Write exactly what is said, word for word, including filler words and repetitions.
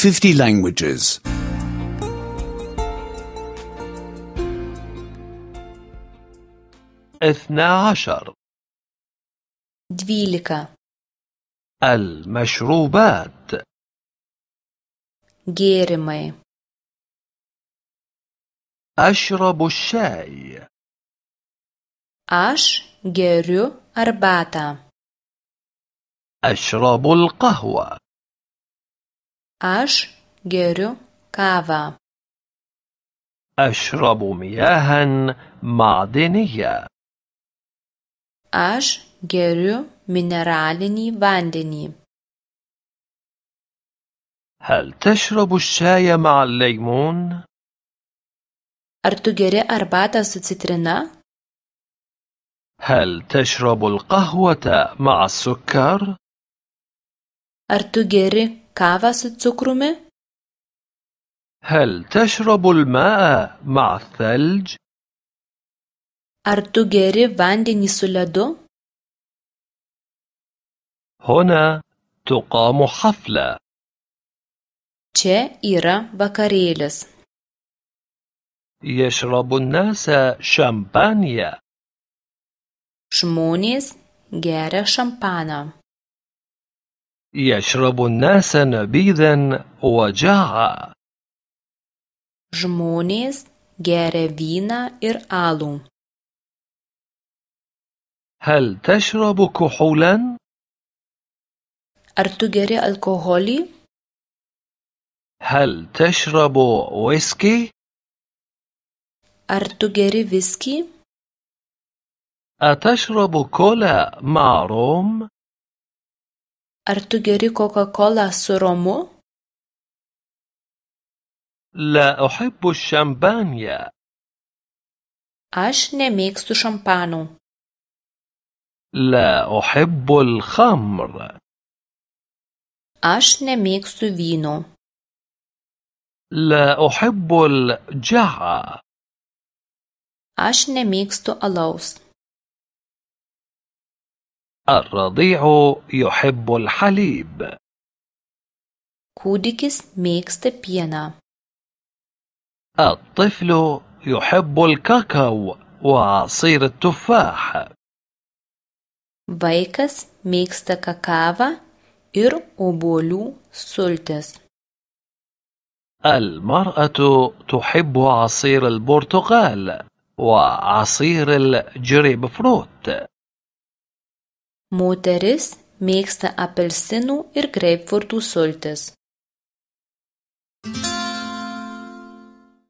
fifty languages. اثنا عشر. Dvylika. المشروبات. Gėrimai. أشرب الشاي. Aš geriu arbatą. أشرب القهوة. Aš geriu kavą. أشرب مياها معدنية. Aš geriu mineralinį vandenį. هل تشرب الشاي مع الليمون؟ Ar tu geri arbatą su citrina? هل تشرب القهوة مع السكر؟ Ar tu geri kavą su cukrumi? هل تشرب الماء مع الثلج؟ Ar tu geri vandenį su ledu? هنا تقام حفلة. Čia yra vakarėlis. يشرب الناس شامبانيا. Žmonės geria šampaną. يشرب الناس نبيذا وجاعا. Žmonės geria vyną ir alų. هل تشرب كحولا؟ Ar tu geri alkoholį? هل تشرب ويسكي؟ Ar tu geri viskį? أتشرب كولا مع روم؟ Ar tu geri Coca-Cola su romu? لا أحب الشامبانيا. Aš nemėgstu šampano. لا أحب الخمر. Aš nemėgstu vyno. لا أحب الجعة. Aš nemėgstu alaus. الرضيع يحب الحليب. Kūdikis mėgsta pieną. الطفل يحب الكاكاو وعصير التفاح. Vaikas mėgsta kakavą ir obuolių sultis. المرأة تحب عصير البرتقال وعصير الجريب فروت. Moteris mėgsta apelsinų ir greipfrutų sultis.